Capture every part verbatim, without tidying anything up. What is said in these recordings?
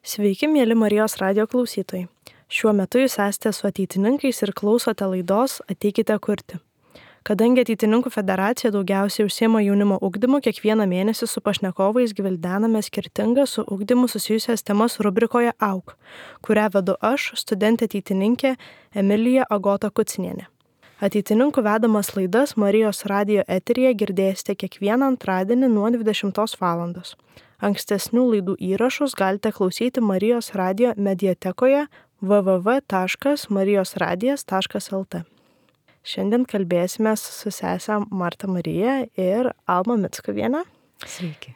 Sveiki, mėly Marijos radijo klausytojai. Šiuo metu jūs esate su ateitininkais ir klausote laidos Ateikite kurti. Kadangi Ateitininkų federacija daugiausiai užsiema jaunimo ugdymu, kiekvieną mėnesį su pašnekovais gvildename skirtingas su ugdymu susijusias temas rubrikoje Auk, kurią vedu aš, studentė ateitininkė Emilija Agota Kucinienė. Ateitininkų vedamas laidas Marijos radijo eteryje girdėsite kiekvieną antradienį nuo dvidešimtos valandos. Ankstesnių laidų įrašus galite klausyti Marijos radijo mediatekoje w w w taškas marijos radijas taškas l t. Šiandien kalbėsime su sesę Marta Marija ir Alma Mickuvienė. Sveiki.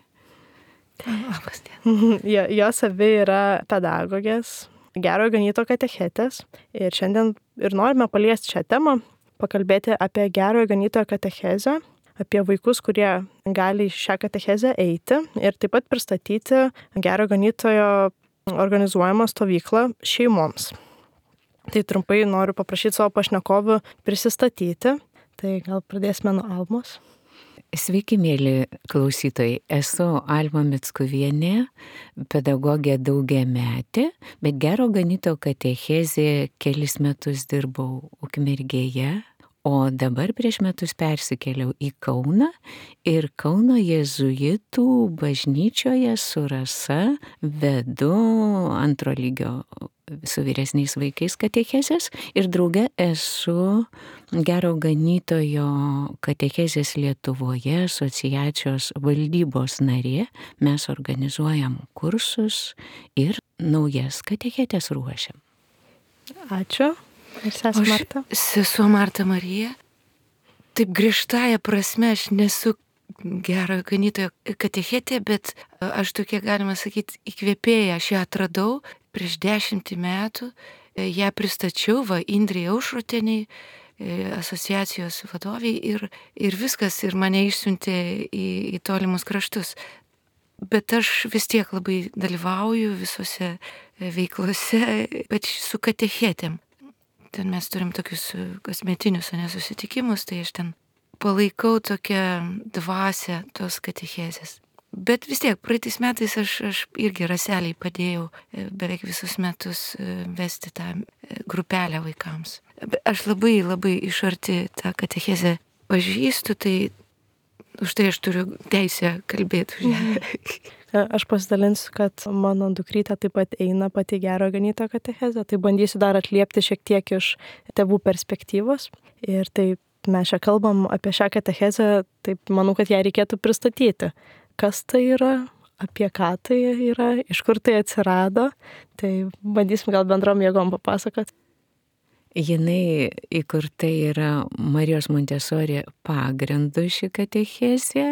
Labas diena. Jo, jos abi yra pedagogės, Gerojo Ganytojo katechetės. Ir šiandien ir norime paliesti šią temą, pakalbėti apie Gerojo Ganytojo katechezę, apie vaikus, kurie gali šią katechezę eiti ir taip pat pristatyti Gerojo Ganytojo organizuojamą stovyklą šeimoms. Tai trumpai noriu paprašyti savo pašnekovių prisistatyti. Tai gal pradėsime nuo Almos. Sveiki, mėly klausytojai. Esu Alma Mickuvienė, pedagogė daugiametė, bet Gerojo Ganytojo katechezė kelis metus dirbau Ukmergėje, o dabar prieš metus persikėliau į Kauną ir Kauno jėzuitų bažnyčioje su Rasa vedu antro lygio su vyresniais vaikais katechezės ir drauge esu Gerojo Ganytojo katechezės Lietuvoje asociacijos valdybos narė. Mes organizuojam kursus ir naujas katechetes ruošiam. Ačiū. Ir sesė Marta? Sesuo Marta Marija. Taip griežtąja prasme aš nesu Gerojo Ganytojo katechetė, bet aš tokia, galima sakyti, įkvėpėja. Aš ją atradau prieš dešimtį metų. Ją pristačiau va Indrei Aušroteniai, asociacijos vadoviai ir, ir viskas, ir mane išsiuntė į, į tolimus kraštus. Bet aš vis tiek labai dalyvauju visose veiklose, bet su katechetėm. Ten mes turim tokius kasmetinius nesusitikimus, tai aš ten palaikau tokią dvasią tos katechezės. Bet vis tiek, praeitais metais aš, aš irgi Raseliai padėjau beveik visus metus vesti tą grupelę vaikams. Aš labai, labai iš arti tą katechezę pažįstu, tai už tai aš turiu teisę kalbėti už ją. Aš pasidalinsiu, kad mano dukrytė taip pat eina pati Gerojo Ganytojo katechezę, tai bandysiu dar atliepti šiek tiek iš tėvų perspektyvos. Ir taip mes čia kalbam apie šią katechezę, taip manau, kad ją reikėtų pristatyti. Kas tai yra, apie ką tai yra, iš kur tai atsirado, tai bandysim gal bendrom jėgom papasakoti. Jinai įkurta yra Marijos Montesori pagrindu ši katechezė,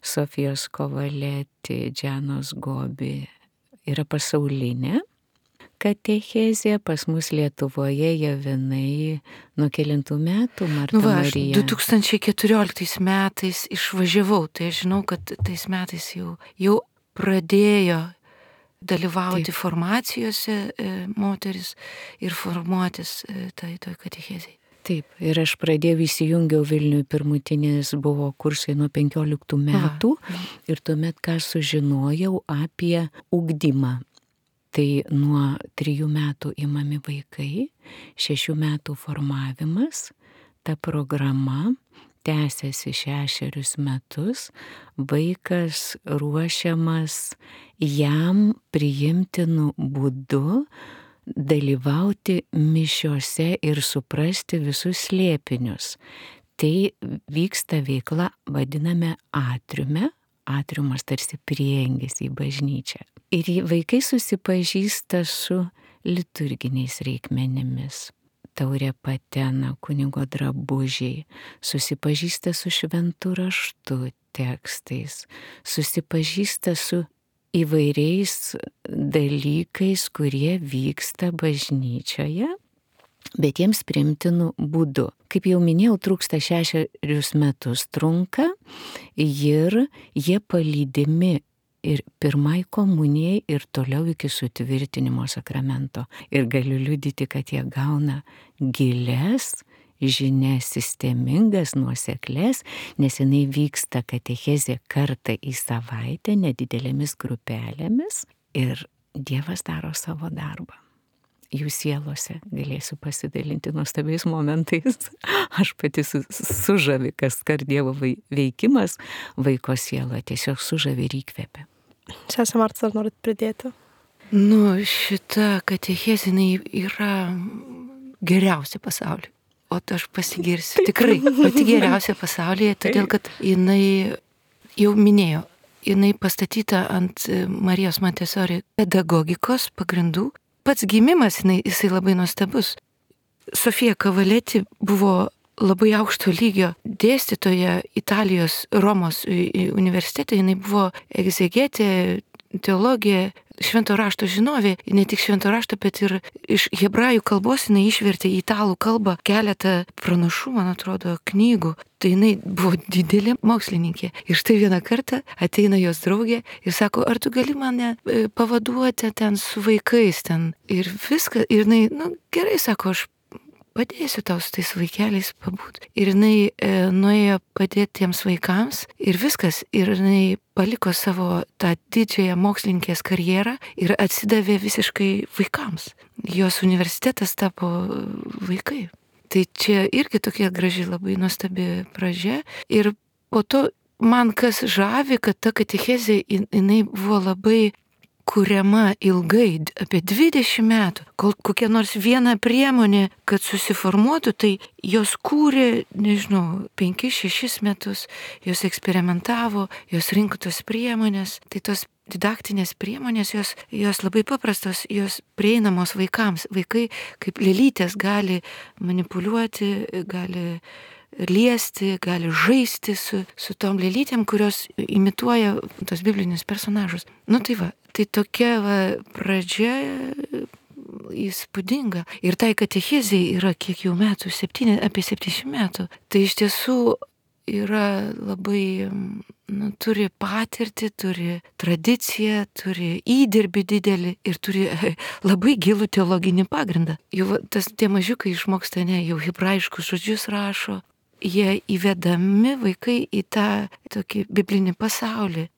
Sofijos Kovaleti, Džianos Gobi yra pasaulinė katechezė, pas mus Lietuvoje javinai nuo kelintų metų, Marta nu va, Marija. du tūkstančiai keturioliktais metais išvažiavau, tai aš žinau, kad tais metais jau, jau pradėjo dalyvauti Taip. formacijose e, moteris ir formuotis e, tai toj katechezei. Taip, ir aš pradėjau įsijungiau Vilniui, pirmutinis buvo kursai nuo penkioliktų metų Aha. ir tuomet ką sužinojau apie ugdymą. Tai nuo trijų metų imami vaikai, šešių metų formavimas, ta programa tęsiasi šešerius metus, vaikas ruošiamas jam priimtinu būdu dalyvauti mišiose ir suprasti visus slėpinius. Tai vyksta veikla, vadiname atriume, atriumas tarsi prieangis į bažnyčią. Ir vaikai susipažįsta su liturginiais reikmenimis. Taurė patena, kunigo drabužiai, susipažįsta su šventu raštu tekstais, susipažįsta su įvairiais dalykais, kurie vyksta bažnyčioje, bet jiems priimtinu būdu. Kaip jau minėjau, trūksta šešerius metus trunka ir jie palydimi ir pirmai komunijai ir toliau iki sutvirtinimo sakramento. Ir galiu liudyti, kad jie gauna gilias žinias, sistemingas, nuoseklės, nes jinai vyksta katechezė kartą į savaitę nedidelėmis grupelėmis ir Dievas daro savo darbą. Jų sielose galėsiu pasidalinti nuostabiais momentais. Aš pati su, sužavi, kas kart Dievo veikimas vaiko sieloje tiesiog sužavi ir įkvepia. Sesė Marta, ar norit pridėti? Nu, šita katechezė yra geriausia pasaulyje. O aš pasigirsiu. Tikrai, pati geriausia pasaulyje, todėl kad jinai, jau minėjo, jinai pastatyta ant Marijos Montessori pedagogikos pagrindų. Pats gimimas, jinai, jisai labai nuostabus. Sofija Kavaleti buvo labai aukšto lygio dėstytoja Italijos Romos universitete, jinai buvo egzegetė, teologija, švento rašto žinovė, ne tik švento rašto, bet ir iš hebrajų kalbos jinai išvertė į italų kalbą keletą pranašų, man atrodo, knygų. Tai jinai buvo didelė mokslininkė. Ir štai vieną kartą ateina jos draugė ir sako, ar tu gali mane pavaduoti ten su vaikais ten. Ir viską, ir jinai, nu gerai, sako, aš padėsiu tau su tais vaikeliais pabūt. Ir jinai e, nuėjo padėti tiems vaikams ir viskas. Ir jinai paliko savo tą didžiąją mokslininkės karjerą ir atsidavė visiškai vaikams. Jos universitetas tapo vaikai. Tai čia irgi tokia graži, labai nuostabi pradžia. Ir po to man kas žavi, kad ta katechezė, jinai buvo labai kuriama ilgai, apie dvidešimt metų, kol kokia nors viena priemonė, kad susiformuotų, tai jos kūrė, nežinau, penkis, šešis metus, jos eksperimentavo, jos rinko tos priemonės, tai tos didaktinės priemonės, jos, jos labai paprastos, jos prieinamos vaikams. Vaikai kaip lėlytės gali manipuliuoti, gali liesti, gali žaisti su, su tom lėlytėm, kurios imituoja tos biblinius personažus. Nu tai va, tai tokia va pradžia įspūdinga. Ir tai katechezei yra kiek jau metų, septyni, apie septyniasdešimt metų. Tai iš tiesų yra labai, nu, turi patirtį, turi tradiciją, turi įdirbį didelį ir turi labai gilų teologinį pagrindą. Jau tas tie mažiukai išmoksta, ne, jau hebrajiškus žodžius rašo. Jie įvedami vaikai į tą tokį biblinį pasaulį.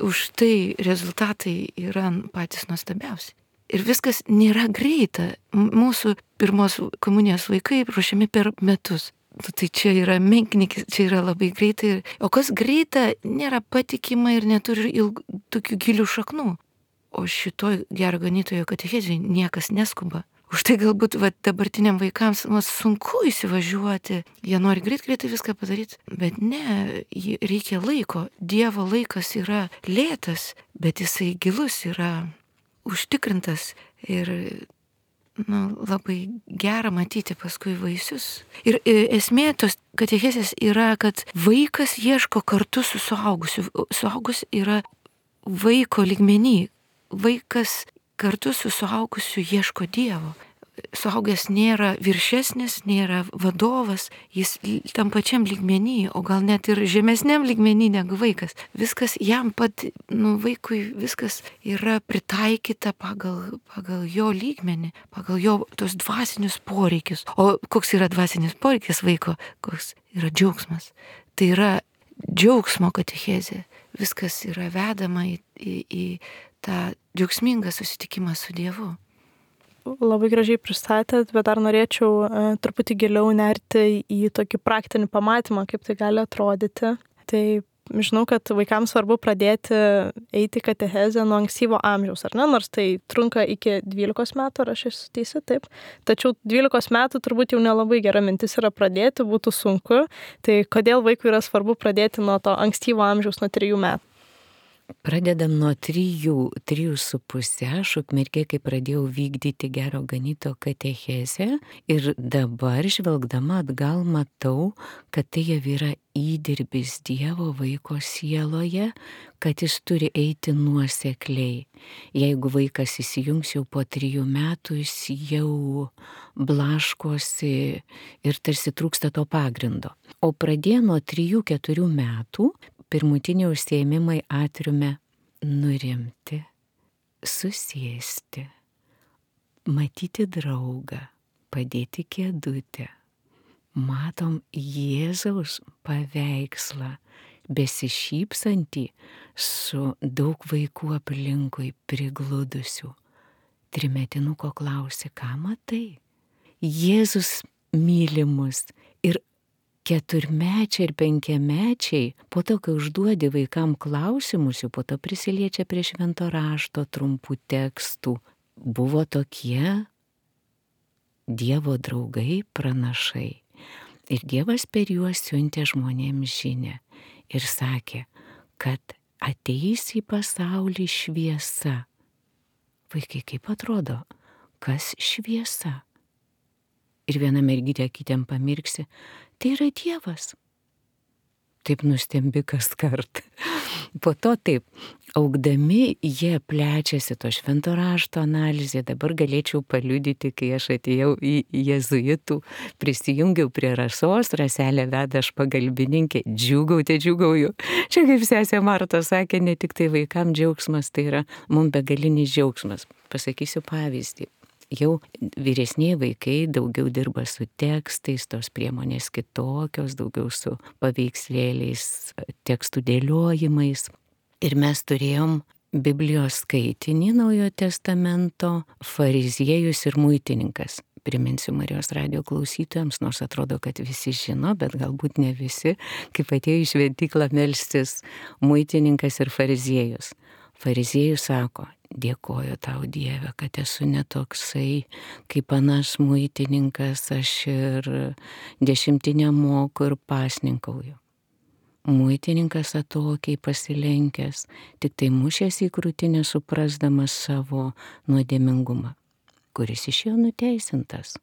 Už tai rezultatai yra patys nuostabiausi. Ir viskas nėra greita. Mūsų pirmos komunijos vaikai ruošiami per metus. Tai čia yra menknikis, čia yra labai greitai. O kas greita, nėra patikima ir neturi ilg, tokių gilių šaknų. O šitoj gero ganytojo katechezėje niekas neskuba. Už tai galbūt va, dabartiniam vaikams va, sunku įsivažiuoti. Jie nori greit greitai viską padaryti. Bet ne, reikia laiko. Dievo laikas yra lėtas, bet jisai gilus, yra užtikrintas. Ir nu, labai gera matyti paskui vaisius. Ir esmė tos katechezės yra, kad vaikas ieško kartu su suaugusiu. Suaugus yra vaiko lygmenį. Vaikas kartu su suaugusiu ieško Dievo. Suaugęs nėra viršesnis, nėra vadovas, jis tam pačiam lygmenį, o gal net ir žemesniam lygmenį negu vaikas. Viskas jam pat, nu, vaikui viskas yra pritaikyta pagal, pagal jo lygmenį, pagal jo tos dvasinius poreikius. O koks yra dvasinis poreikis vaiko? Koks yra džiaugsmas. Tai yra džiaugsmo katechezė. Viskas yra vedama į, į, į tą džiaugsmingą susitikimą su Dievu. Labai gražiai pristatėt, bet dar norėčiau e, truputį giliau nerti į tokį praktinį pamatymą, kaip tai gali atrodyti. Tai žinau, kad vaikams svarbu pradėti eiti katechezę nuo ankstyvo amžiaus, ar ne? Nors tai trunka iki dvylikos metų, ar aš esu teisi, taip. Tačiau dvylikos metų turbūt jau nelabai gera mintis yra pradėti, būtų sunku. Tai kodėl vaikui yra svarbu pradėti nuo to ankstyvo amžiaus, nuo trijų metų? Pradedam nuo trijų, trijų su pusė, aš ukmergė, kai pradėjau vykdyti gero ganyto katechezę ir dabar žvelgdama atgal matau, kad tai jau yra įdirbis Dievo vaiko sieloje, kad jis turi eiti nuosekliai. Jeigu vaikas įsijungs jau po trijų metų, jis jau blaškosi ir tarsi trūksta to pagrindo. O pradėjo nuo trijų keturių metų, pirmutiniai užsiėmimai atriume nurimti, susėsti, matyti draugą, padėti kėdutę. Matom Jėzaus paveikslą besišypsantį su daug vaikų aplinkui prigludusių. Trimetinuko klausė, ką matai? Jėzus myli mus. Ir keturmečiai ir penkiamečiai, po to, kai užduodi vaikam klausimus, jau po to prisiliečia prie švento rašto trumpų tekstų, buvo tokie Dievo draugai, pranašai. Ir Dievas per juos siuntė žmonėms žinę ir sakė, kad ateis į pasaulį šviesa. Vaikai, kaip atrodo, kas šviesa? Ir viena mergytė kitiem pamirksi, tai yra Dievas. Taip nustembi kas kart. Po to taip, augdami jie plečiasi to švento rašto analizė. Dabar galėčiau paliudyti, kai aš atėjau į jėzuitų, prisijungiau prie Rasos, Raselė veda aš pagalbininkė, džiūgauti, džiūgauju. Čia kaip sesė Marta sakė, ne tik tai vaikam džiaugsmas, tai yra mums begalinis džiaugsmas. Pasakysiu pavyzdį. Jau vyresniai vaikai daugiau dirba su tekstais, tos priemonės kitokios, daugiau su paveikslėliais, tekstų dėliojimais. Ir mes turėjom Biblijos skaitinį Naujojo testamento, fariziejus ir muitininkas. Priminsiu Marijos radijo klausytojams, nors atrodo, kad visi žino, bet galbūt ne visi, kaip atėjo į šventyklą melstis muitininkas ir fariziejus. Fariziejus sako, dėkoju tau Dieve, kad esu netoksai, kaip anas muitininkas, aš ir dešimtinę moku ir pasninkauju. Muitininkas atokiai pasilenkęs, tik tai mušęs į krūtinę suprasdamas savo nuodėmingumą, kuris išėjo nuteisintas.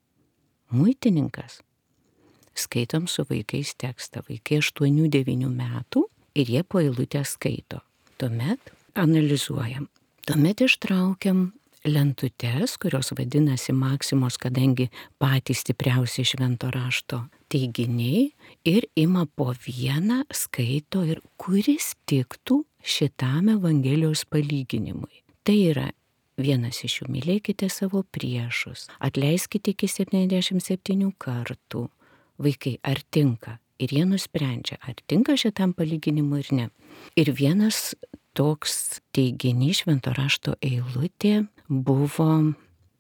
Muitininkas. Skaitom su vaikais tekstą, vaikai aštuonių devynių metų ir jie po eilutę skaito. Tuomet analizuojam. Tuomet ištraukiam lentutes, kurios vadinasi maksimos, kadangi patys stipriausi švento rašto teiginiai, ir ima po vieną, skaito ir kuris tiktų šitam Evangelijos palyginimui. Tai yra vienas iš jų, mylėkite savo priešus, atleiskite iki septyniasdešimt septynių kartų. Vaikai, ar tinka? Ir jie nusprendžia, ar tinka šitam palyginimui ir ne. Ir vienas toks teiginys, švento rašto eilutė buvo,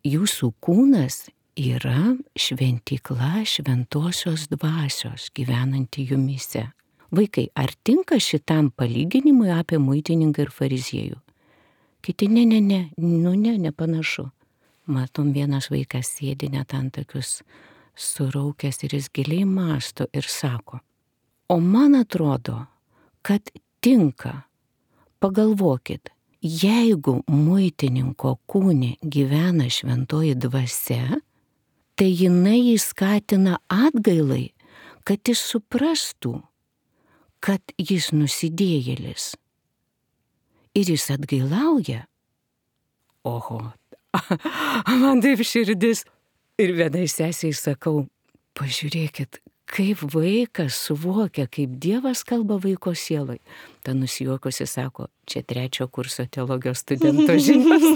jūsų kūnas yra šventykla šventosios dvasios gyvenanti jumyse. Vaikai, ar tinka šitam palyginimui apie muitininką ir fariziejų? Kiti, ne, ne, ne, nu ne, nepanašu. Matom, vienas vaikas sėdi net ant tokius suraukęs ir jis giliai mąsto ir sako, o man atrodo, kad tinka. Pagalvokit, jeigu muitininko kūne gyvena šventoji dvasia, tai jinai jį skatina atgailai, kad jis suprastų, kad jis nusidėjėlis. Ir jis atgailauja. Oho, man taip širdis. Ir vienai sesiai sakau, pažiūrėkit, kaip vaikas suvokia, kaip Dievas kalba vaiko sielai. Ta nusijuokusi sako, čia trečio kurso teologijos studento žinios.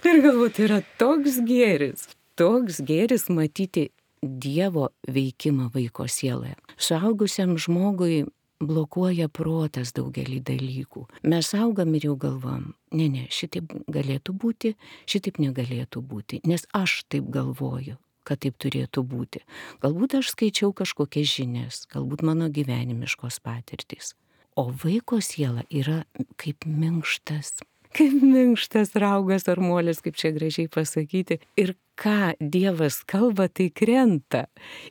Ir galbūt yra toks gėris, toks gėris matyti Dievo veikimą vaiko sieloje. Suaugusiam žmogui blokuoja protas daugelį dalykų. Mes augam ir jau galvom, ne, ne, šitaip galėtų būti, šitaip negalėtų būti, nes aš taip galvoju, kad taip turėtų būti. Galbūt aš skaičiau kažkokias žinias, galbūt mano gyvenimiškos patirtys. O vaiko siela yra kaip minkštas, kaip minkštas raugas ar molis, kaip čia gražiai pasakyti. Ir ką Dievas kalba, tai krenta.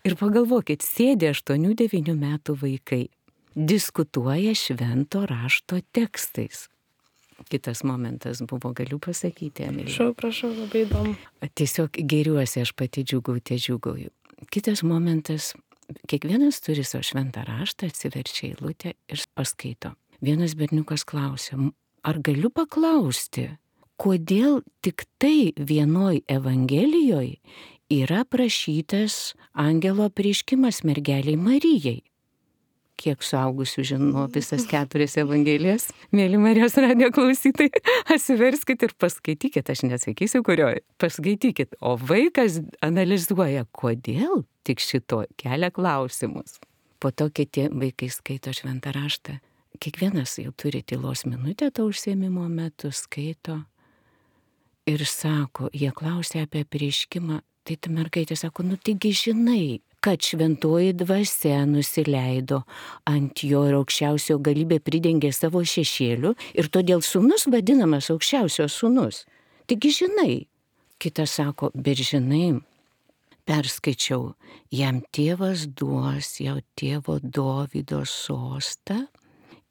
Ir pagalvokit, sėdė aštuonių devynių metų vaikai, diskutuoja švento rašto tekstais. Kitas momentas buvo, galiu pasakyti, Emilija. Prašau, prašau, labai įdomu. Tiesiog geriuosi, aš pati džiūgauju, džiūgauju. Kitas momentas, kiekvienas turi savo šventą raštą, atsiverčia eilutę ir paskaito. Vienas berniukas klausia, ar galiu paklausti, kodėl tik tai vienoj Evangelijoje yra prašytas angelo apreiškimas mergeliai Marijai? Kiek suaugusių žino visas keturias Evangelijas? Mėly Marijos radijo klausytojai, atsiverskit ir paskaitykit, aš nesakysiu kurioj, paskaitykit. O vaikas analizuoja, kodėl tik šito, kelia klausimus. po to kiti vaikai skaito šventą raštą. Kiekvienas jau turi tylos minutę to užsiėmimo metu, skaito ir sako, jie klausia apie apreiškimą, tai ta mergaitė sako, nu taigi žinai, kad šventoji dvasia nusileido ant jo ir aukščiausio galybė pridengė savo šešėliu ir todėl sūnus vadinamas aukščiausio sūnus. Taigi žinai. Kitas sako, bet žinai, perskaičiau, jam tėvas duos jau tėvo Dovydo sostą,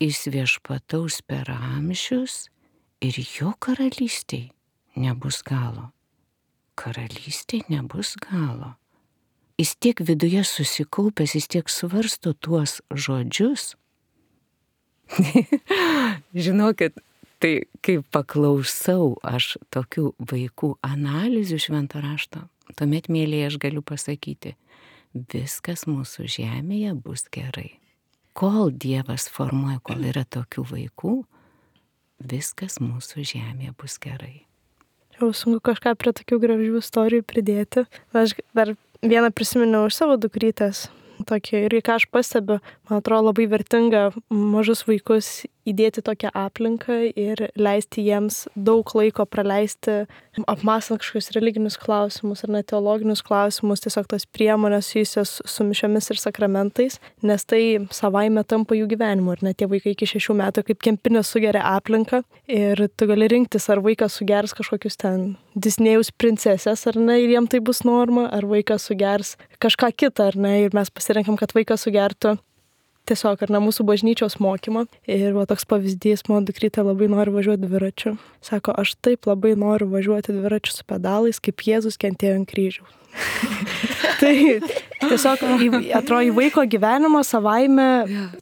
jis viešpataus per amžius ir jo karalystėj nebus galo. Karalystėj nebus galo. Jis tiek viduje susikaupęs, jis tiek svarsto tuos žodžius. Žinokit, tai kai paklausau aš tokių vaikų analizių švento rašto, tuomet, mėlyje, aš galiu pasakyti, viskas mūsų žemėje bus gerai. Kol Dievas formuoja, kol yra tokių vaikų, viskas mūsų žemėje bus gerai. Jau sunku kažką prie tokių gražių istorijų pridėti. Aš dar vieną prisiminiau iš savo dukrytės. Tokį, ir ką aš pastebiu, man atrodo labai vertinga mažus vaikus įdėti tokią aplinką ir leisti jiems daug laiko praleisti, apmąstant kažkokius religinius klausimus ar net teologinius klausimus, tiesiog tos priemonės susijusios su mišiomis ir sakramentais, nes tai savaime tampa jų gyvenimu. Ir net tie vaikai iki šešių metų kaip kempinė sugeria aplinką ir tu gali rinktis, ar vaikas sugers kažkokius ten Disnėjaus princesės, ar ne, ir jiem tai bus norma, ar vaikas sugers kažką kitą, ar ne, ir mes pasirenkam, kad vaikas sugertų tiesiog, ar ne, mūsų bažnyčios mokymą. Ir va toks pavyzdys, mano dukrytė labai nori važiuoti dviračiu. Sako, aš taip labai noriu važiuoti dviračiu su pedalais, kaip Jėzus kentėjo ant kryžiaus. Tai tiesiog atrodo į vaiko gyvenimą savaime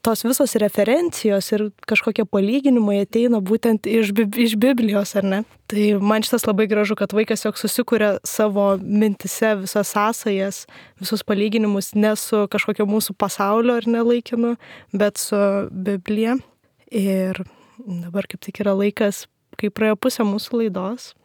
tos visos referencijos ir kažkokie palyginimai ateina būtent iš, iš Biblijos, ar ne? Tai man šitas labai gražu, kad vaikas jog susikuria savo mintise visas sąsajas, visus palyginimus ne su kažkokio mūsų pasaulio ar nelaikinu, bet su Biblija. Ir dabar kaip tik yra laikas, kai praėjo pusė mūsų laidos.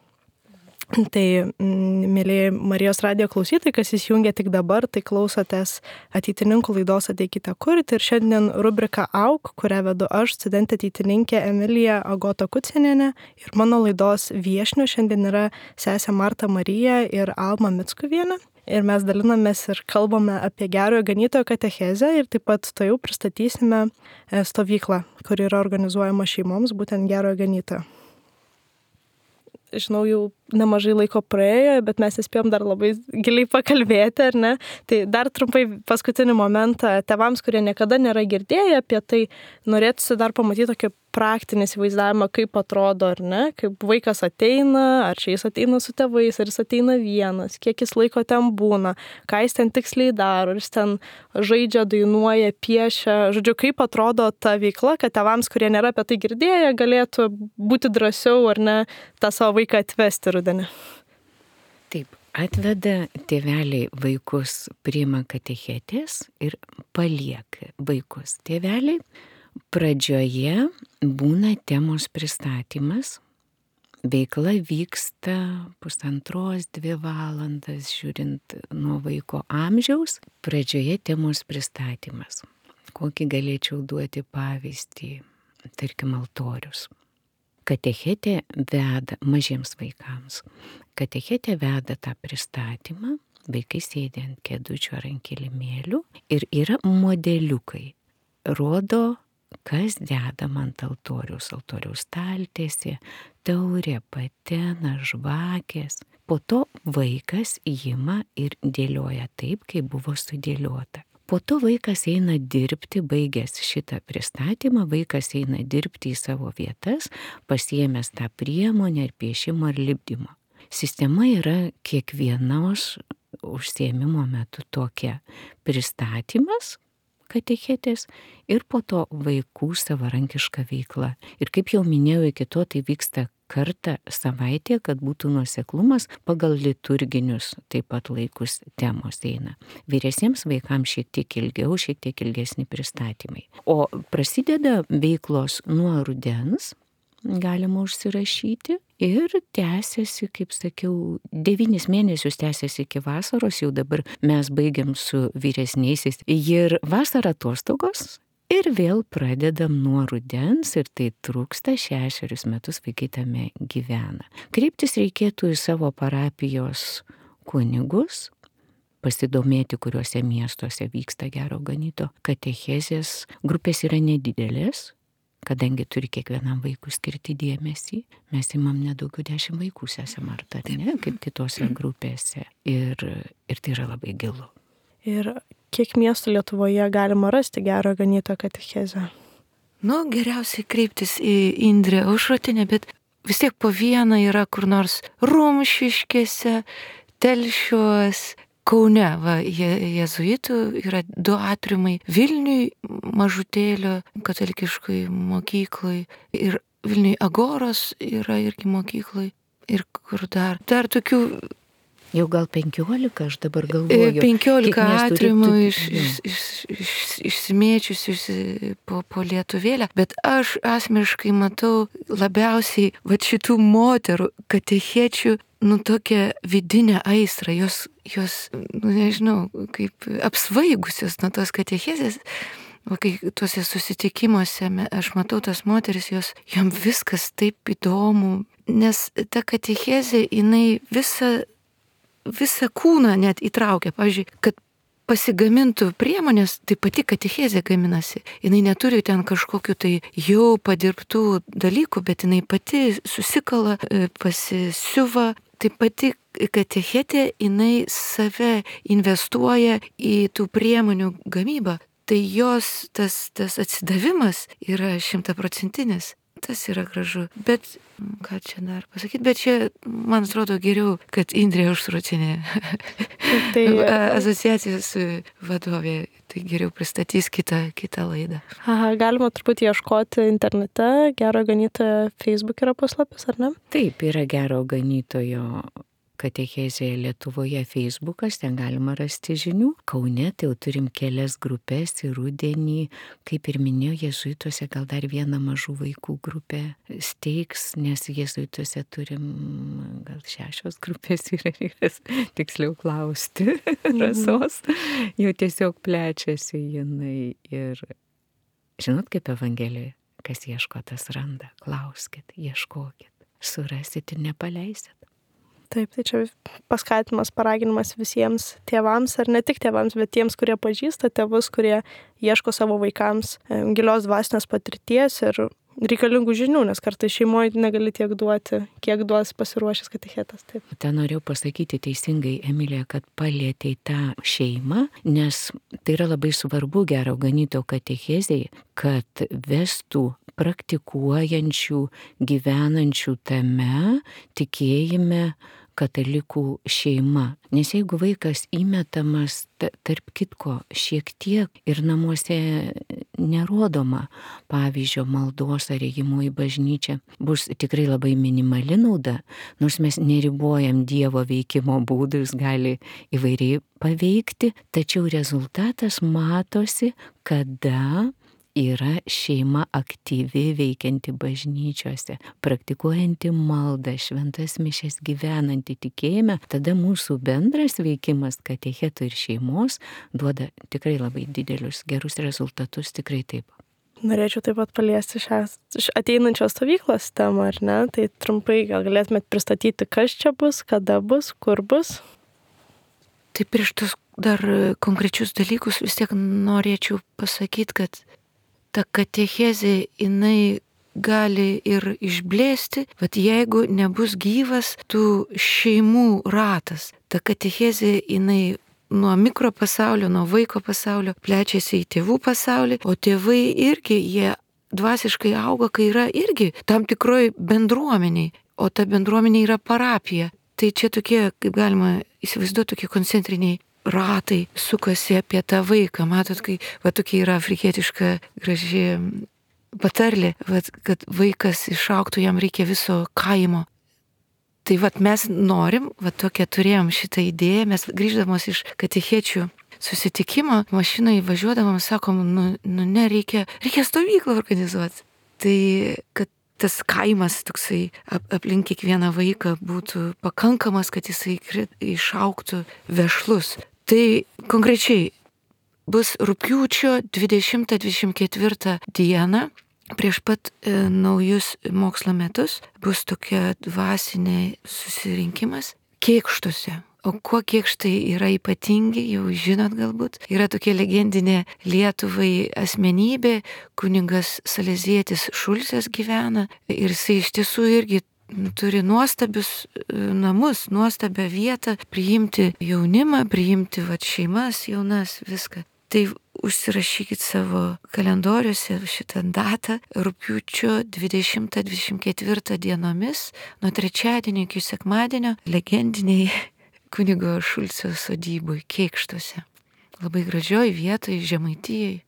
Tai, mėlyje Marijos radijo klausytojai, kas įsijungia tik dabar, tai klausotės ateitininkų laidos Ateikite kurti. Ir šiandien rubrika Auk, kurią vedu aš, studentė ateitininkė Emilija Agota Kucinienė. Ir mano laidos viešnių šiandien yra sesė Marta Marija ir Alma Mickuvienė. Ir mes dalinamės ir kalbame apie gerojo ganytojo katechezę ir taip pat to jau pristatysime stovyklą, kuri yra organizuojama šeimoms, būtent gerojo ganytojo. Žinau, jau nemažai laiko praėjo, bet mes nespėjom dar labai giliai pakalbėti, ar ne? Tai dar trumpai paskutinį momentą tėvams, kurie niekada nėra girdėję apie tai, norėtųsi dar pamatyti tokį praktinį įsivaizdavimą, kaip atrodo, ar ne? Kaip vaikas ateina, ar čia jis ateina su tėvais, ar jis ateina vienas, kiek jis laiko ten būna, ką jis ten tiksliai daro, ar jis ten žaidžia, dainuoja, piešia. Žodžiu, kaip atrodo ta veikla, kad tėvams, kurie nėra apie tai girdėję, galėtų būti drąsiau, ar ne, tą savo vaiką atvesti rudenį. Taip, atveda tėveliai vaikus, priima katechetės ir palieka vaikus. Tėveliai pradžioje būna temos pristatymas, veikla vyksta pusantros, dvi valandas, žiūrint nuo vaiko amžiaus. Pradžioje temos pristatymas. Kokį galėčiau duoti pavyzdį, tarkim, altorius. Katechetė veda mažiems vaikams. Katechetė veda tą pristatymą, vaikai sėdi ant kėdučių ar ant kilimėlių ir yra modeliukai. Rodo, kas dedama ant altoriaus, altoriaus staltiesė, taurė, patena, žvakės. Po to vaikas ima ir dėlioja taip, kaip buvo sudėliota. Po to vaikas eina dirbti, baigęs šitą pristatymą, vaikas eina dirbti į savo vietas, pasiėmęs tą priemonę ir piešimo ir lipdymo. Sistema yra kiekvienos užsiėmimo metu tokia: pristatymas katechetės ir po to vaikų savarankiška veikla. Ir kaip jau minėjau, iki to tai vyksta kartą savaitėje, kad būtų nuoseklumas, pagal liturginius taip pat laikus temos eina. Vyresniems vaikams šiek tiek ilgiau, šiek tiek ilgesni pristatymai. O prasideda veiklos nuo rudens, galima užsirašyti. Ir tęsiasi, kaip sakiau, devynis mėnesius tęsiasi iki vasaros, jau dabar mes baigiam su vyresniaisiais. Ir vasara atostogos. Ir vėl pradedam nuo rudens ir tai trūksta šešerius metus vaikai tame gyvena. Kreiptis reikėtų į savo parapijos kunigus, pasidomėti, kuriuose miestuose vyksta Gero Ganytojo katechezės. Grupės yra nedidelės, kadangi turi kiekvienam vaikui skirti dėmesį. Mes imam nedaugiau dešimt vaikų, sesė Marta, ne, kaip kitose grupėse. Ir, ir tai yra labai gilu. Ir kiek miestų Lietuvoje galima rasti Gero Ganytojo katechezę? Nu, geriausiai kreiptis į Indrę Aušrotinę, bet vis tiek po vieną yra kur nors Rumšiškėse, Telšiuos, Kaune, va, je, jezuitų yra du atriumai, Vilniui mažutėlio katalikiškai mokyklai ir Vilniui Agoros yra irgi mokyklai ir kur dar. Dar tokių jau gal penkiolika, aš dabar galvoju. penkiolika atriumų iš, iš, iš, iš, išsimėčiusius po, po Lietuvėlę, bet aš asmeniškai matau labiausiai va šitų moterų katechečių, nu tokią vidinę aistrą, jos, jos, nu nežinau, kaip apsvaigusios nuo tos katechezės. O kai tuose susitikimuose aš matau tas moteris, jos, jom viskas taip įdomu, nes ta katechezė, jinai visą visą kūną net įtraukia. Pavyzdžiui, kad pasigamintų priemonės, tai pati katechezė gaminasi. Jinai neturi ten kažkokiu tai jau padirbtų dalykų, bet jinai pati susikala, pasisiuva. Tai pati katechetė, jinai save investuoja į tų priemonių gamybą. Tai jos tas, tas atsidavimas yra šimtaprocentinis. Tas yra gražu. Bet, ką čia dar pasakyti, bet čia, man atrodo, geriau, kad Indrė Aušrotinė tai, asociacijos vadovė, tai geriau pristatys kitą, kitą laidą. Aha, galima truputį ieškoti internete, Gero Ganytojo Facebook yra puslapis, ar ne? Taip, yra Gero Ganytojo katechezė Lietuvoje Facebookas, ten galima rasti žinių. Kaune tai jau turim kelias grupės ir rudenį, kaip ir minėjau, jezuituose gal dar vieną mažų vaikų grupę steigs, nes jezuituose turim gal šešios grupės ir reikės tiksliau klausti Rasos. Jau tiesiog plečiasi jinai ir žinot, kaip Evangelijoje, kas ieško, tas randa. Klauskit, ieškokit, surasit ir nepaleisit. Taip, tai čia paskatinimas, paraginimas visiems tėvams, ar ne tik tėvams, bet tiems, kurie pažįsta tėvus, kurie ieško savo vaikams gilios dvasinės patirties ir reikalingų žinių, nes kartais šeimoje negali tiek duoti, kiek duos pasiruošęs katechetas. Taip. Ten norėjau pasakyti teisingai, Emilija, kad palietei tą šeimą, nes tai yra labai svarbu Gero Ganytojo katechezei, kad vestų praktikuojančių, gyvenančių tame tikėjime katalikų šeima. Nes jeigu vaikas įmetamas tarp kitko šiek tiek ir namuose nerodoma pavyzdžio maldos ar ėjimo į bažnyčią, bus tikrai labai minimali nauda, nors mes neribojam Dievo veikimo būdų, jis gali įvairiai paveikti, tačiau rezultatas matosi, kada yra šeima aktyvi veikianti bažnyčiose, praktikuojanti maldą, šventas mišias, gyvenanti tikėjime, tada mūsų bendras veikimas katecheto ir šeimos duoda tikrai labai didelius gerus rezultatus, tikrai taip. Norėčiau taip pat paliesti šią ateinančios stovyklos temą, ar ne? Tai trumpai gal galėtumėt pristatyti, kas čia bus, kada bus, kur bus? Tai prieš tos dar konkrečius dalykus vis tiek norėčiau pasakyti, kad ta katechezė, jinai gali ir išblėsti, bet jeigu nebus gyvas tų šeimų ratas, ta katechezė, jinai nuo mikropasaulio, nuo vaiko pasaulio plečiasi į tėvų pasaulį, o tėvai irgi, jie dvasiškai auga, kai yra irgi tam tikroj bendruomeniai, o ta bendruomenė yra parapija. Tai čia tokie, kaip galima įsivaizduoti, tokie koncentriniai ratai sukasi apie tą vaiką. Matot, kai va tokia yra afrikietiška graži patarlė, va, kad vaikas išaugtų, jam reikia viso kaimo. Tai va mes norim, va tokią turėjom šitą idėją, mes grįždamos iš katechečių susitikimo, mašinai važiuodamam sakom, nu, nu ne, reikia, reikia stovyklą organizuoti. Tai kad tas kaimas toksai aplink kiekvieną vaiką būtų pakankamas, kad jisai išaugtų vešlus. Tai konkrečiai bus rugpjūčio dvidešimtą dvidešimt ketvirtą dieną, prieš pat e, naujus mokslo metus, bus tokia dvasinė susirinkimas Kėkštuose. O kuo Kėkštai yra ypatingi, jau žinot galbūt, yra tokia legendinė Lietuvai asmenybė, kunigas Salezietis Šulcas gyvena ir jisai iš tiesų irgi turi nuostabius namus, nuostabią vietą, priimti jaunimą, priimti vat, šeimas jaunas, viską. Tai užsirašykit savo kalendoriuose šitą datą, rugpjūčio dvidešimtą dvidešimt ketvirtą dienomis, nuo trečiadienio iki sekmadienio, legendiniai kunigo Šulco sodyboj Kėkštuose. Labai gražioj vietoj, Žemaitijoj.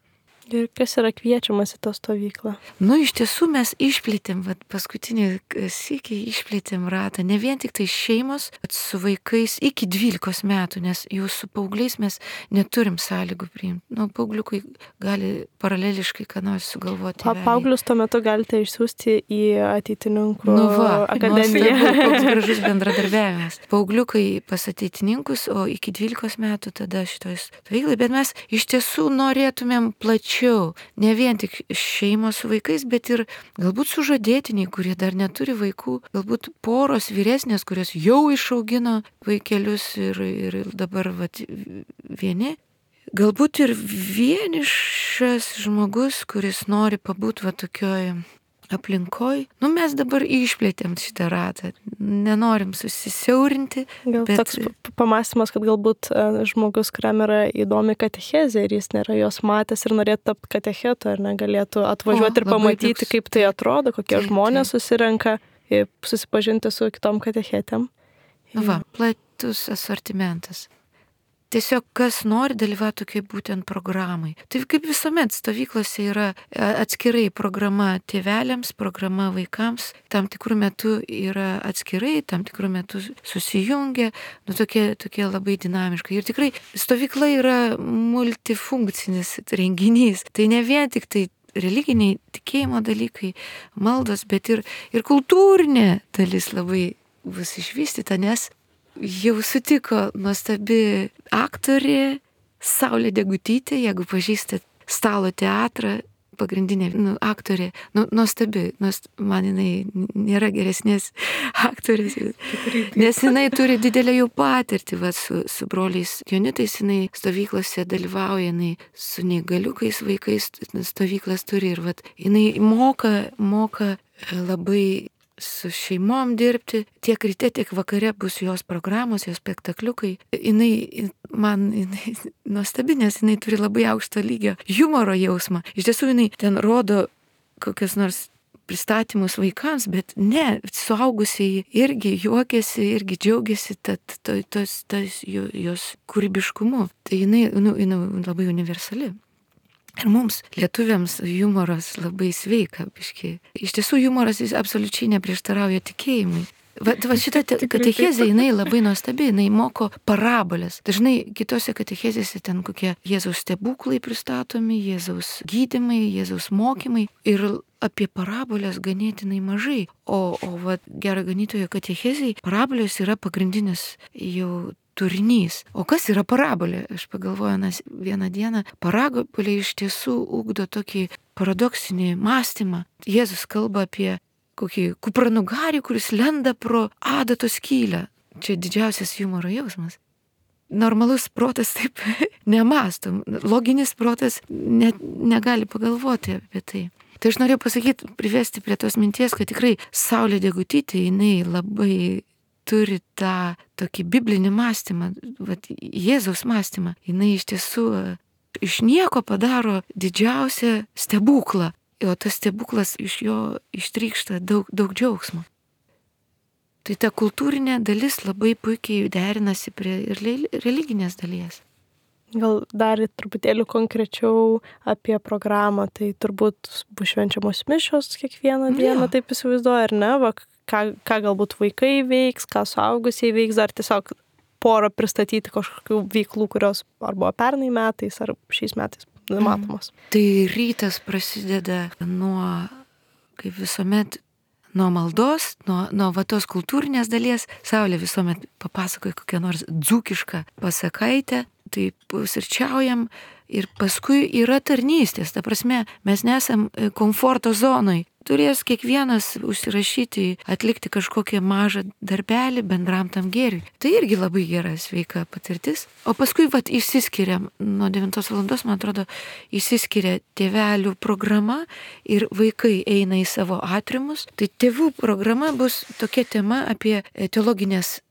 Ir kas yra kviečiamas į tą stovyklą? Nu, iš tiesų mes išplėtėm, vat, paskutinį sykį išplėtėm ratą, ne vien tik tai šeimos, bet su vaikais iki dvylikos metų, nes jau su paaugliais mes neturim sąlygų priimti. Nu, paaugliukai gali paraleliškai ką nors sugalvoti. Pa, paauglius tuo metu galite išsiųsti į ateitininkų nu va, akademiją. Nuostabu, koks gražus bendradarbiavimas. Paaugliukai pas ateitininkus, o iki dvylikos metų tada šitoj stovyklai, bet mes iš tiesų norėtumėm plačiau. Ne vien tik šeimos su vaikais, bet ir galbūt sužadėtiniai, kurie dar neturi vaikų, galbūt poros vyresnės, kurios jau išaugino vaikelius ir, ir dabar vat, vieni. Galbūt ir vienišas žmogus, kuris nori pabūti va tokioj aplinkoj. Nu, mes dabar išplėtėm šitą ratą. Nenorim susisiaurinti. Gal bet... toks pamastymas, kad galbūt žmogus, kuriam yra įdomi katechezė ir jis nėra jos matęs ir norėtų tapti katechetu, ar negalėtų atvažiuoti o, ir pamatyti, toks... kaip tai atrodo, kokie taip, žmonės taip. Susirenka ir susipažinti su kitom katechetėm. Va, platus asortimentas. Tiesiog kas nori dalyvauti tokiai būtent programai. Tai kaip visuomet stovyklose yra atskirai programa tėveliams, programa vaikams, tam tikrų metų yra atskirai, tam tikrų metų susijungia, nu tokie, tokie labai dinamiškai. Ir tikrai stovykla yra multifunkcinis renginys. Tai ne vien tik tai religiniai tikėjimo dalykai, maldos, bet ir, ir kultūrinė dalis labai bus išvystyta, nes jau sutiko nuostabi aktorė Saulė Degutytė, jeigu pažįstat Stalo teatrą, pagrindinė nu, aktorė, nu, nuostabi, nuost, man jinai nėra geresnės aktorės, nes jinai turi didelę jau patirtį, va, su, su broliais Jonitais, jinai stovyklose dalyvauja, jinai su neįgaliukais vaikais stovyklas turi ir va, jinai moka, moka labai su šeimom dirbti, tiek ryte, tiek vakare bus jos programos, jos spektakliukai. Jinai, man, jinai nuostabi, nes jinai turi labai aukšto lygio humoro jausmą. Iš tiesų, jinai ten rodo kokias nors pristatymus vaikams, bet ne, suaugusiai irgi juokiasi, irgi džiaugiasi tos, tos, tos jos kūrybiškumu. Tai jinai, nu, jinai labai universali. Ir mums, lietuviams, humoras labai sveika, biški. Iš tiesų, humoras jis absoliučiai neprieštarauja tikėjimui. Va, va šita katechezė, jinai labai nuostabi, jinai moko parabolės. Dažnai kitose katechezėse ten kokie Jėzaus stebuklai pristatomi, Jėzaus gydymai, Jėzaus mokymai ir apie parabolės ganėtinai mažai. O, o va, gero ganytojo katechezėj parabolės yra pagrindinis jau turinys. O kas yra parabolė? Aš pagalvoju, nes vieną dieną parabolė iš tiesų ugdo tokį paradoksinį mąstymą. Jėzus kalba apie kokį kupranugarį, kuris lenda pro adatos skylę. Čia didžiausias humoro jausmas. Normalus protas taip nemąstom. Loginis protas net negali pagalvoti apie tai. Tai aš norėjau pasakyti, privesti prie tos minties, kad tikrai Saulė Degutytė, jinai labai turi tą tokį biblinį mąstymą, vat, Jėzaus mąstymą. Jinai iš tiesų iš nieko padaro didžiausią stebuklą, o tas stebuklas iš jo ištrykšta daug, daug džiaugsmo. Tai ta kultūrinė dalis labai puikiai derinasi prie ir religinės dalies. Gal dar truputėlį konkrečiau apie programą, tai turbūt bus švenčiamos mišios kiekvieną dieną, ja. Taip įsivaizduoju, ar ne? Va, ką, ką galbūt vaikai veiks, ką suaugusiai veiks, ar tiesiog porą pristatyti kažkokių veiklų, kurios ar buvo pernai metais, ar šiais metais matomos. Mm. Tai rytas prasideda nuo, kaip visuomet, nuo maldos, nuo, nuo va tos kultūrinės dalies. Saulė visuomet papasakoja kokią nors dzūkišką pasakaitę, tai pusryčiaujam ir paskui yra tarnystės. Ta prasme, mes nesam komforto zonoj. Turės kiekvienas užsirašyti, atlikti kažkokią mažą darbelį bendram tam gėriui. Tai irgi labai gera sveika patirtis. O paskui vat išsiskiria, nuo devintos valandos, man atrodo, išsiskiria tėvelių programa ir vaikai eina į savo atriumus. Tai tėvų programa bus tokia tema apie teologinės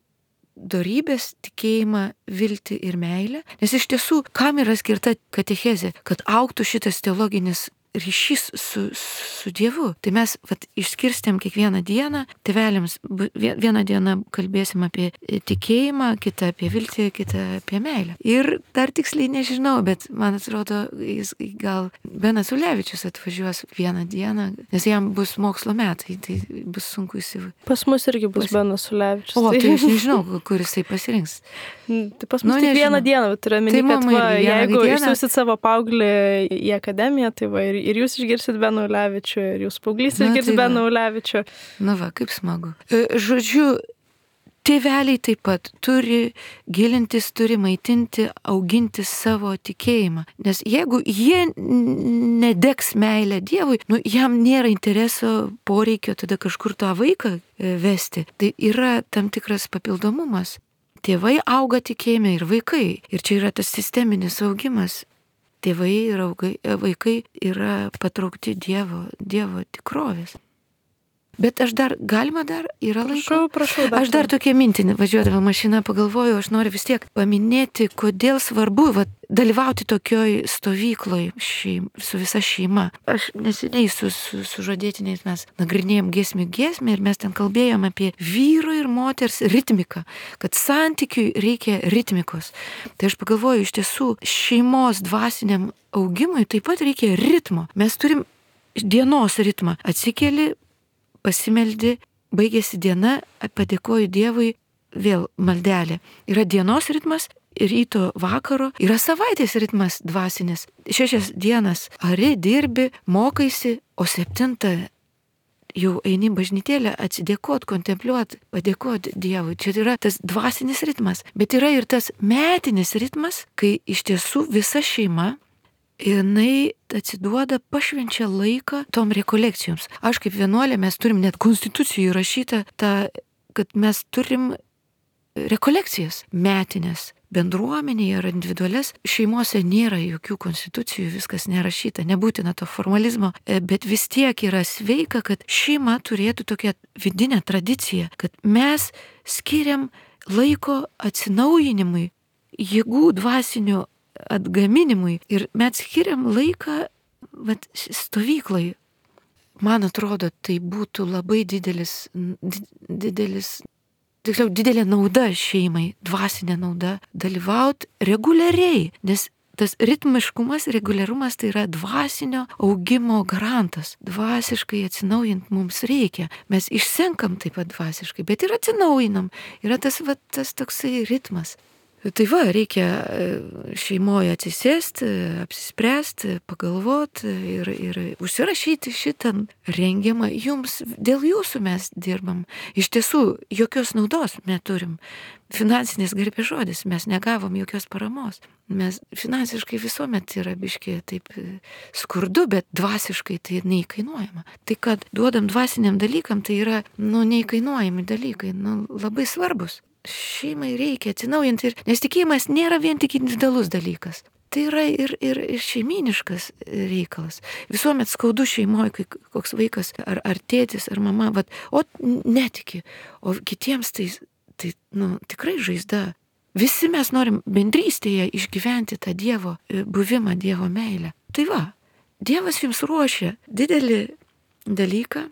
dorybės, tikėjimą, viltį ir meilę. Nes iš tiesų, kam yra skirta katechezė, kad augtų šitas teologinis ryšys su, su Dievu. Tai mes vat, išskirstėm kiekvieną dieną, tėveliams vieną dieną kalbėsim apie tikėjimą, kitą apie viltį, kitą apie meilę. Ir dar tiksliai nežinau, bet man atrodo, jis gal Benas Ulevičius atvažiuos vieną dieną, nes jam bus mokslo metai, tai bus sunku įsivaizduoti. Pas mus irgi bus pas... Benas Ulevičius. O, tai aš nežinau, kur jisai pasirinks. Tai pas mus nu, tik vieną dieną, bet turiu omeny, kad va, jeigu išsiųsit savo paauglį į akademiją, tai va, ir, ir jūs išgirsit Beną Ulevičių, ir jūs paauglys išgirs tai Beną Ulevičių. Na va, kaip smagu. Žodžiu, tėveliai taip pat turi gilintis, turi maitinti, auginti savo tikėjimą. Nes jeigu jie nedegs meilę Dievui, nu, jam nėra intereso, poreikio tada kažkur tą vaiką vesti. Tai yra tam tikras papildomumas. Tėvai auga tikėjime ir vaikai. Ir čia yra tas sisteminis augimas. Tėvai ir augai, vaikai yra patraukti Dievo, Dievo tikrovės. Bet aš dar, galima dar, yra laiko? Prašau, prašau. Dar aš dar tokia mintinė, važiuodama mašiną, pagalvoju, aš noriu vis tiek paminėti, kodėl svarbu va, dalyvauti tokioj stovykloj šeim, su visa šeima. Aš neseniai su, su, su žadėtiniais mes nagrinėjom giesmių giesmę ir mes ten kalbėjom apie vyro ir moters ritmiką, kad santykiui reikia ritmikos. Tai aš pagalvoju, iš tiesų šeimos dvasiniam augimui taip pat reikia ritmo. Mes turim dienos ritmą. Atsikeli, pasimeldi, baigėsi diena, padėkoju Dievui, vėl maldelė. Yra dienos ritmas, ryto vakaro, yra savaitės ritmas dvasinis. Šešias dienas ari, dirbi, mokaisi, o septintą jau eini bažnytėlę atsidėkot, kontempliuot, padėkot Dievui. Čia yra tas dvasinis ritmas. Bet yra ir tas metinis ritmas, kai iš tiesų visa šeima jinai atsiduoda, pašvenčia laiką tom rekolekcijoms. Aš kaip vienuolė, mes turim net konstitucijų įrašytą, tą, kad mes turim rekolekcijas metinės. Bendruomenėje ar individualias šeimose nėra jokių konstitucijų, viskas nerašyta, nebūtina to formalizmo, bet vis tiek yra sveika, kad šeima turėtų tokią vidinę tradiciją, kad mes skiriam laiko atsinaujinimui, jėgų dvasinių atgaminimui ir mes skiriam laiką vat, stovyklai. Man atrodo, tai būtų labai didelis, didelis, tiksliau, didelė nauda šeimai, dvasinė nauda, dalyvauti reguliariai, nes tas ritmiškumas, reguliarumas tai yra dvasinio augimo garantas. Dvasiškai atsinaujint mums reikia. Mes išsenkam taip pat dvasiškai, bet ir atsinaujinam. Yra tas, va, tas toksai ritmas. Tai va, reikia šeimoje atsisėsti, apsispręsti, pagalvoti ir, ir užsirašyti šitą rengiamą. Jums, dėl jūsų mes dirbam. Iš tiesų, jokios naudos neturim. Finansinės garbės žodis, mes negavom jokios paramos. Mes finansiškai visuomet yra biški taip skurdu, bet dvasiškai tai neįkainuojama. Tai, kad duodam dvasiniam dalykam, tai yra, nu, neįkainuojami dalykai, nu, labai svarbus. Šeimai reikia atsinaujinti, ir, nes tikėjimas nėra vien tik individualus dalykas. Tai yra ir, ir, ir šeiminiškas reikalas. Visuomet skaudu šeimoje, kai koks vaikas ar, ar tėtis, ar mama, vat, o netiki, o kitiems tai, tai nu, tikrai žaizda. Visi mes norim bendrystėje išgyventi tą Dievo buvimą, Dievo meilę. Tai va, Dievas jums ruošia didelį dalyką,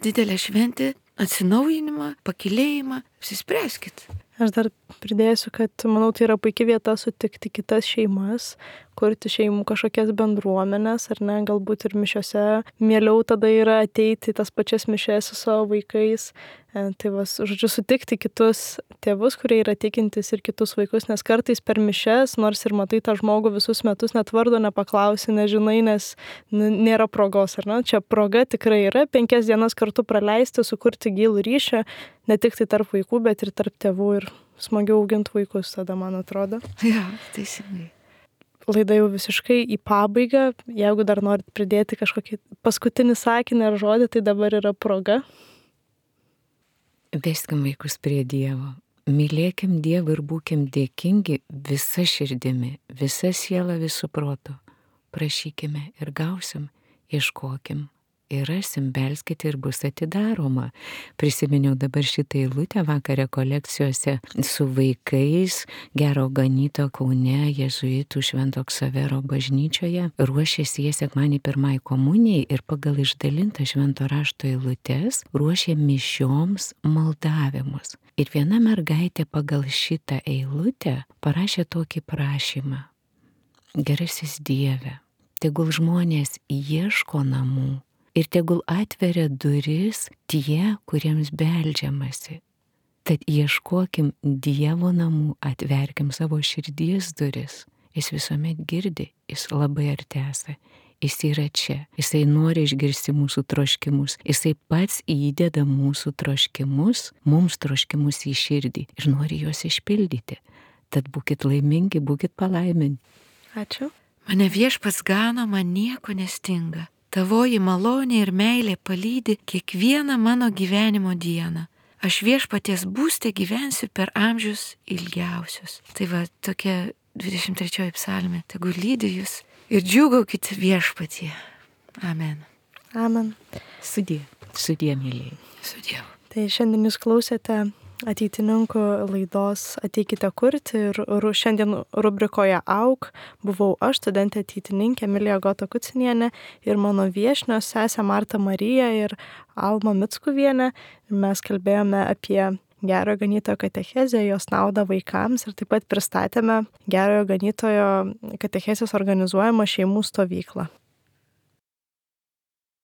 didelę šventę, atsinaujinimą, pakilėjimą, apsispręskit. Aš dar pridėsiu, kad manau, tai yra puikia vieta sutikti kitas šeimas, kurti šeimų kažkokias bendruomenės, ar ne, galbūt ir mišiose. Mieliau tada yra ateiti į tas pačias mišes su savo vaikais, Tai va, žodžiu, sutikti kitus tėvus, kurie yra tikintis ir kitus vaikus, nes kartais per mišes, nors ir matai tą žmogų visus metus, net vardo nepaklausi, nežinai, nes nėra progos, ar ne? Čia proga tikrai yra, penkias dienas kartu praleisti, sukurti gilų ryšį, ne tik tai tarp vaikų, bet ir tarp tėvų ir smagiau auginti vaikus, tada man atrodo. Ja, teisingai. Laida jau visiškai į pabaigą, jeigu dar norit pridėti kažkokį paskutinį sakinį ar žodį, tai dabar yra proga. Veskim vaikus prie Dievo. Mylėkim Dievą ir būkim dėkingi visa širdimi, visa siela, visų protų. Prašykime ir gausim, ieškokim ir rasim, belskite ir bus atidaroma. Prisiminiau dabar šitą eilutę vakar rekolekcijose su vaikais Gero Ganytojo Kaune jėzuitų Švento Ksavero bažnyčioje. Ruošėsi jie sekmadienį pirmai komunijai ir pagal išdalintą švento rašto eilutes ruošė mišioms maldavimus. Ir viena mergaitė pagal šitą eilutę parašė tokį prašymą. Gerasis Dieve, tegul žmonės ieško namų ir tegul atveria duris tie, kuriems beldžiamasi. Tad ieškokim Dievo namų, atverkim savo širdies duris. Jis visuomet girdi, jis labai arti esa. Jis yra čia, jisai nori išgirsti mūsų troškimus, jisai pats įdeda mūsų troškimus, mums troškimus į širdį ir nori juos išpildyti. Tad būkit laimingi, būkit palaiminti. Ačiū. Mane viešpats gano, man nieko nestinga. Tavoji malonė ir meilė palydi kiekvieną mano gyvenimo dieną. Aš viešpaties būste gyvensiu per amžius ilgiausius. Tai va, tokia dvidešimt trečioji psalmė. Tegu lydi jūs ir džiūgaukit viešpatie. Amen. Amen. Sudie, sudie, mylėjai. Sudie. Tai šiandien jūs klausėte ateitininkų laidos Ateikite kurti ir šiandien rubrikoje Auk buvau aš, studentė ateitininkė Emilija Gota Kucinienė ir mano viešnios sesė Marta Marija ir Alma Mickuvienė. Mes kalbėjome apie Gerojo Ganytojo katechezę, jos naudą vaikams ir taip pat pristatėme Gerojo Ganytojo katechezės organizuojamą šeimų stovyklą.